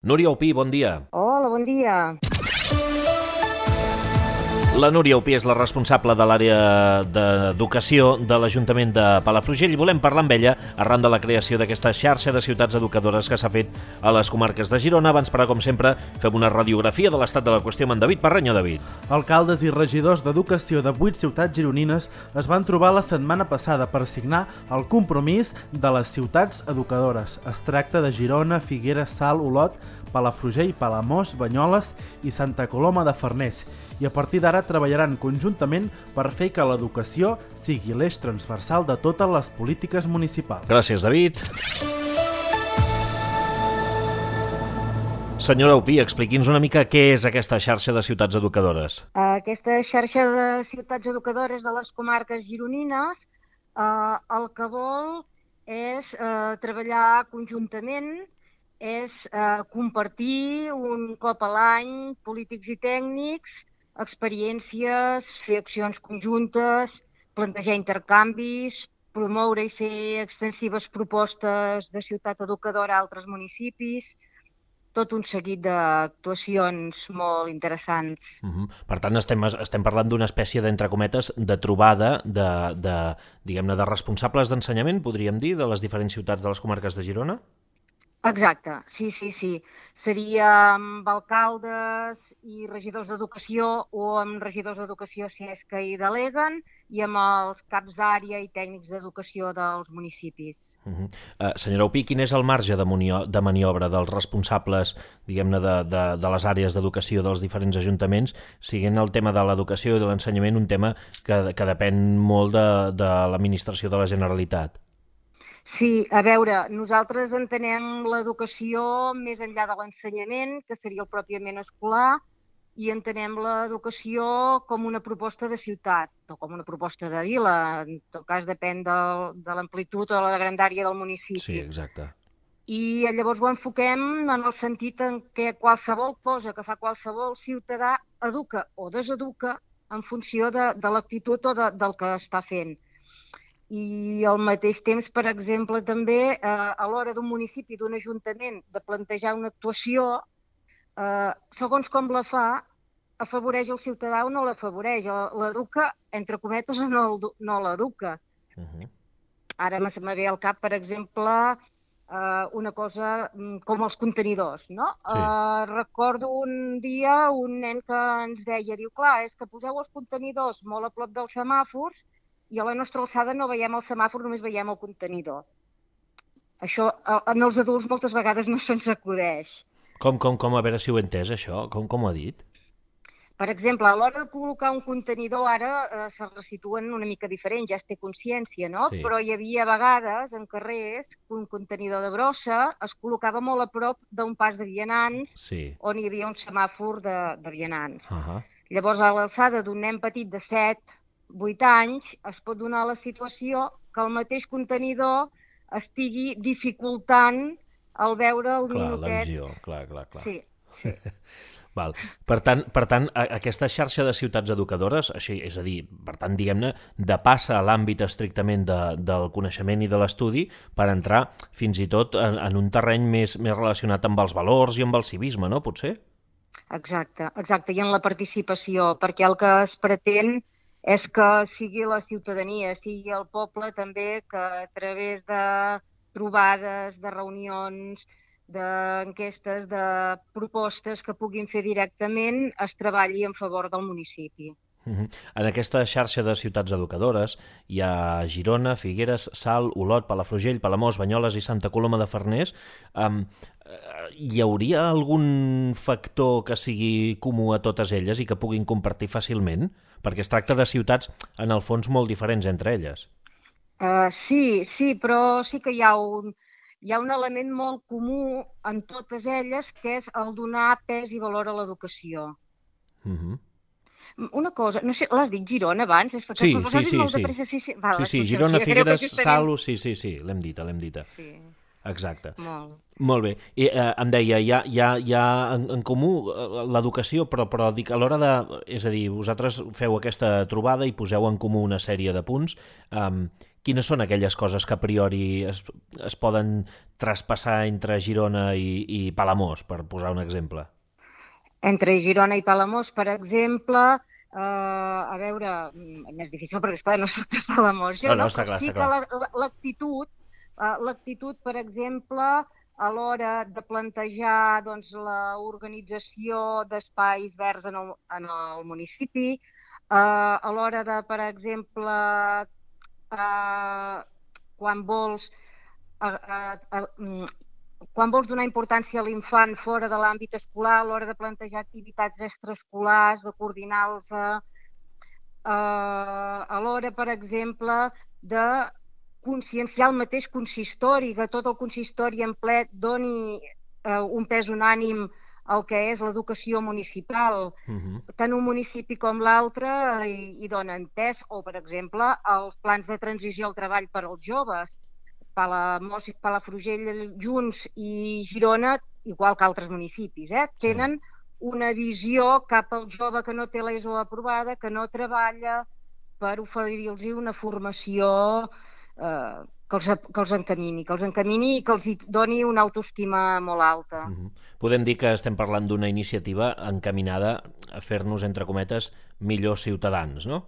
Núria Opí, bon dia. Hola, bon dia. La Núria Opí és la responsable de l'àrea d'educació de l'Ajuntament de Palafrugell i volem parlar amb ella arran de la creació d'aquesta xarxa de ciutats educadores que s'ha fet a les comarques de Girona. Abans, però, com sempre, fem una radiografia de l'estat de la qüestió amb en David Parreño. David. Alcaldes i regidors d'educació de 8 ciutats gironines es van trobar la setmana passada per signar el compromís de les ciutats educadores. Es tracta de Girona, Figueres, Salt, Olot, Palafrugell, Palamós, Banyoles i Santa Coloma de Farners. I a partir d'ara treballaran conjuntament per fer que l'educació sigui l'eix transversal de totes les polítiques municipals. Gràcies, David. Senyora Opí, expliqui'ns una mica què és aquesta xarxa de ciutats educadores. Aquesta xarxa de ciutats educadores de les comarques gironines el que vol és treballar conjuntament, és compartir un cop a l'any polítics i tècnics, experiències, fer accions conjuntes, plantejar intercanvis, promoure i fer extensives propostes de ciutat educadora a altres municipis, tot un seguit d'actuacions molt interessants. Per tant, estem parlant d'una espècie, d'entre cometes, de trobada diguem-ne, de responsables d'ensenyament, podríem dir, de les diferents ciutats de les comarques de Girona? Exacte, sí. Seria amb alcaldes i regidors d'educació o amb regidors d'educació si és que hi deleguen i amb els caps d'àrea i tècnics d'educació dels municipis. Senyora Opí, quin és el marge de maniobra dels responsables, diguem-ne, de les àrees d'educació dels diferents ajuntaments, siguent el tema de l'educació i de l'ensenyament un tema que depèn molt de l'administració de la Generalitat? Sí, a veure, nosaltres entenem l'educació més enllà de l'ensenyament, que seria el pròpiament escolar, i entenem l'educació com una proposta de ciutat, o com una proposta de vila, en tot cas depèn de l'amplitud o la grandària del municipi. Sí, exacte. I llavors ho enfoquem en el sentit en què qualsevol cosa que fa qualsevol ciutadà educa o deseduca en funció de l'actitud o del que està fent. I al mateix temps, per exemple, també a l'hora d'un municipi, d'un ajuntament, de plantejar una actuació, segons com la fa, afavoreix el ciutadà o no l'afavoreix, l'educa, entre cometes, o no l'educa. Ara me ve al cap, per exemple, una cosa com els contenidors, no? Sí. Recordo un dia un nen que ens deia, diu, clar, és que poseu els contenidors molt a prop dels semàfors i a la nostra alçada no veiem el semàfor, només veiem el contenidor. Això en els adults moltes vegades no se'ns acudeix. Com? A veure si ho he entès, això. Com ho ha dit? Per exemple, a l'hora de col·locar un contenidor ara se resituen una mica diferent, ja es té consciència, no? Sí. Però hi havia vegades en carrers que un contenidor de brossa es col·locava molt a prop d'un pas de vianants, Sí. on hi havia un semàfor de vianants. Uh-huh. Llavors, a l'alçada d'un nen petit de 7-8 anys, es pot donar la situació que el mateix contenidor estigui dificultant el veure el minutet. La visió, clar. Sí. Val. Per tant, aquesta xarxa de ciutats educadores, així, és a dir, per tant, diguem-ne, depassa a l'àmbit estrictament del coneixement i de l'estudi per entrar fins i tot en un terreny més relacionat amb els valors i amb el civisme, no? Potser? Exacte, i en la participació, perquè el que es pretén és que sigui la ciutadania, sigui el poble també que a través de trobades, de reunions, d'enquestes, de propostes que puguin fer directament, es treballi en favor del municipi. En aquesta xarxa de ciutats educadores hi ha Girona, Figueres, Salt, Olot, Palafrugell, Palamós, Banyoles i Santa Coloma de Farners. Hi hauria algun factor que sigui comú a totes elles i que puguin compartir fàcilment? Perquè es tracta de ciutats, en el fons, molt diferents entre elles. Sí, però sí que hi ha un element molt comú en totes elles, que és el donar pes i valor a l'educació. Una cosa, no sé, l'has dit Girona abans? Sí. Vale, Sí, Girona, Figueres, Salt, sí, l'hem dita. Sí. Exacte. Molt bé. I em deia, hi ha en comú l'educació, però dic, a l'hora de... És a dir, vosaltres feu aquesta trobada i poseu en comú una sèrie de punts. Quines són aquelles coses que a priori es poden traspassar entre Girona i Palamós, per posar un exemple? Entre Girona i Palamós, per exemple, a veure, més difícil perquè, esclar, no soc de Palamós. No, està clar, sí està clar. que l'actitud, per exemple, a l'hora de plantejar doncs, l'organització d'espais verds en el municipi, a l'hora de, per exemple, quan vols donar importància a l'infant fora de l'àmbit escolar, a l'hora de plantejar activitats extraescolars, de coordinar-los, a l'hora, per exemple, de conscienciar el mateix consistori, que tot el consistori en ple doni un pes unànim al que és l'educació municipal. Tant un municipi com l'altre hi donen pes, o, per exemple, els plans de transició al treball per als joves. Palamós i Palafrugell junts i Girona, igual que altres municipis, tenen una visió cap al jove que no té l'ESO aprovada, que no treballa, per oferir-los una formació que els encamini i que els doni una autoestima molt alta. Podem dir que estem parlant d'una iniciativa encaminada a fer-nos, entre cometes, millors ciutadans, no?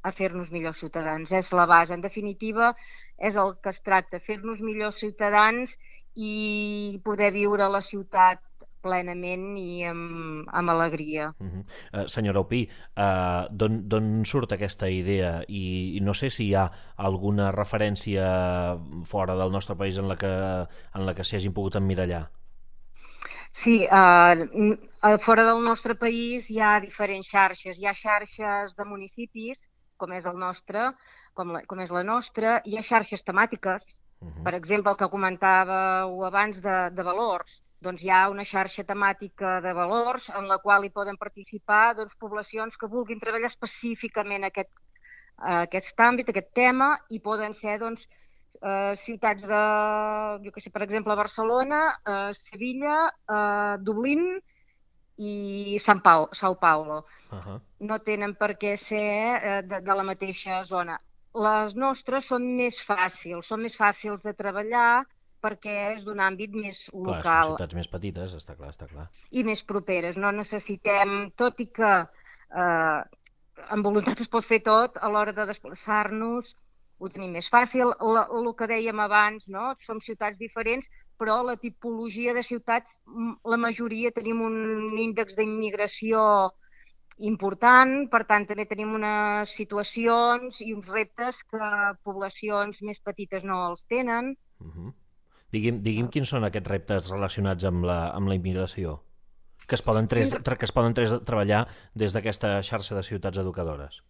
A fer-nos millors ciutadans, és la base. En definitiva, és el que es tracta, fer-nos millors ciutadans i poder viure a la ciutat plenament i amb alegria. Senyora Opí, d'on surt aquesta idea? I no sé si hi ha alguna referència fora del nostre país en la que s'hi hagin pogut emmirallar. Sí, fora del nostre país hi ha diferents xarxes. Hi ha xarxes de municipis, com és el nostre, com és la nostra. Hi ha xarxes temàtiques, per exemple, el que comentàveu abans de valors. Doncs hi ha una xarxa temàtica de valors en la qual hi poden participar poblacions que vulguin treballar específicament aquest àmbit, aquest tema, i poden ser ciutats de, jo què sé, per exemple, Barcelona, Sevilla, Dublín i São Paulo. No tenen per què ser de la mateixa zona. Les nostres són més fàcils de treballar, perquè és d'un àmbit més local. Clar, són ciutats més petites, està clar. I més properes. No necessitem, tot i que amb voluntat es pot fer tot, a l'hora de desplaçar-nos ho tenim més fàcil. El que dèiem abans, no? Som ciutats diferents, però la tipologia de ciutats, la majoria tenim un índex d'immigració important, per tant també tenim unes situacions i uns reptes que poblacions més petites no els tenen. Digui'm quins són aquests reptes relacionats amb la immigració que es poden treballar des d'aquesta xarxa de ciutats educadores.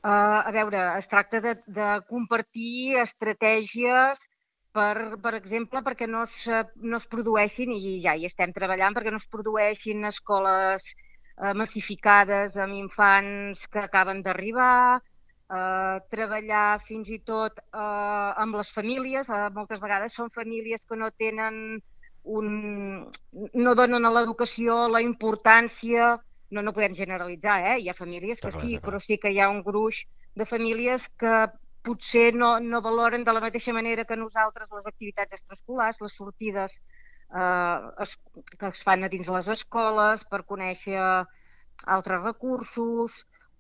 A veure, es tracta de compartir estratègies, per exemple, perquè no es produeixin, i ja hi estem treballant, perquè no es produeixin escoles massificades amb infants que acaben d'arribar, treballar fins i tot amb les famílies. Moltes vegades són famílies que no tenen no donen a l'educació la importància, no podem generalitzar, hi ha famílies que sí, però sí que hi ha un gruix de famílies que potser no valoren de la mateixa manera que nosaltres les activitats extraescolars, les sortides que es fan a dins les escoles per conèixer altres recursos,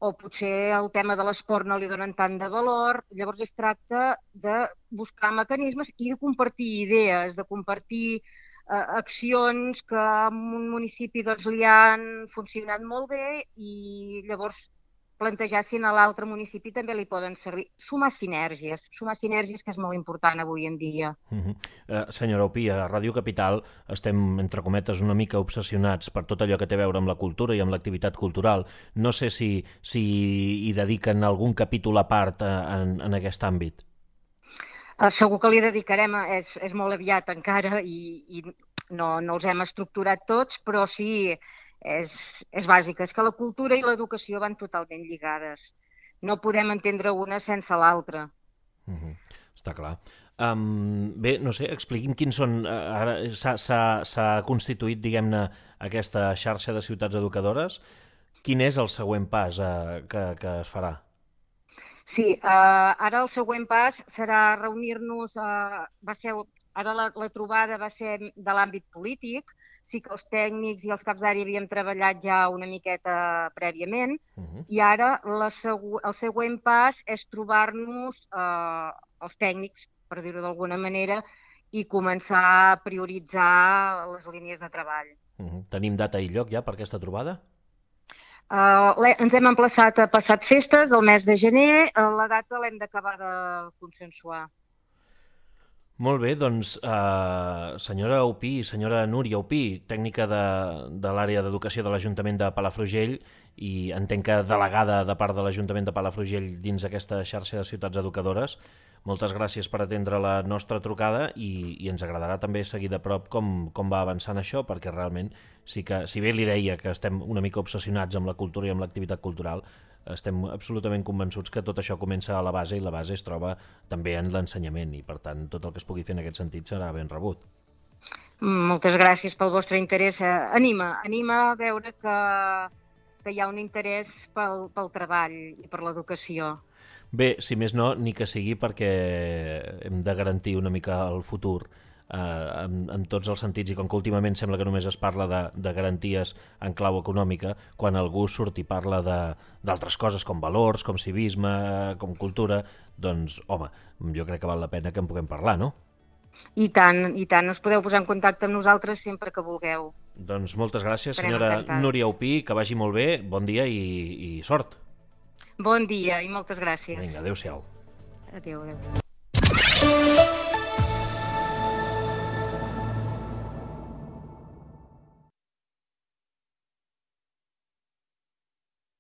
o potser el tema de l'esport no li donen tant de valor. Llavors es tracta de buscar mecanismes i de compartir idees, de compartir accions que en un municipi li han funcionat molt bé i llavors plantejar si a l'altre municipi també li poden servir. Sumar sinergies, que és molt important avui en dia. Senyora Opí, a Ràdio Capital estem, entre cometes, una mica obsessionats per tot allò que té a veure amb la cultura i amb l'activitat cultural. No sé si hi dediquen algun capítol a part en aquest àmbit. Segur que li dedicarem, és molt aviat encara i no els hem estructurat tots, però sí, és bàsic. És que la cultura i l'educació van totalment lligades. No podem entendre una sense l'altra. Està clar. Bé, no sé, expliqui'm quins són... Ara s'ha constituït, diguem-ne, aquesta xarxa de ciutats educadores. Quin és el següent pas que es farà? Sí, ara el següent pas serà reunir-nos, ara la trobada va ser de l'àmbit polític, sí que els tècnics i els caps d'àrea havíem treballat ja una miqueta prèviament, i ara el següent pas és trobar-nos els tècnics, per dir-ho d'alguna manera, i començar a prioritzar les línies de treball. Tenim data i lloc ja per aquesta trobada? Ens hem emplaçat a passat festes, el mes de gener, la data l'hem d'acabar de consensuar. Molt bé, doncs senyora Aupí, senyora Núria Aupí, tècnica de l'àrea d'educació de l'Ajuntament de Palafrugell i entenc que delegada de part de l'Ajuntament de Palafrugell dins aquesta xarxa de ciutats educadores, moltes gràcies per atendre la nostra trucada i ens agradarà també seguir de prop com va avançant això, perquè realment sí que, si bé li deia que estem una mica obsessionats amb la cultura i amb l'activitat cultural, estem absolutament convençuts que tot això comença a la base i la base es troba també en l'ensenyament i per tant tot el que es pugui fer en aquest sentit serà ben rebut. Moltes gràcies pel vostre interès. Anima a veure que hi ha un interès pel treball i per l'educació. Bé, si més no, ni que sigui perquè hem de garantir una mica el futur en tots els sentits i com que últimament sembla que només es parla de garanties en clau econòmica, quan algú surt i parla d'altres coses com valors, com civisme, com cultura, doncs, home, jo crec que val la pena que en puguem parlar, no? I tant, us podeu posar en contacte amb nosaltres sempre que vulgueu. Doncs moltes gràcies, senyora Núria Aupí, que vagi molt bé, bon dia i sort. Bon dia i moltes gràcies. Vinga, adéu-siau. Adéu.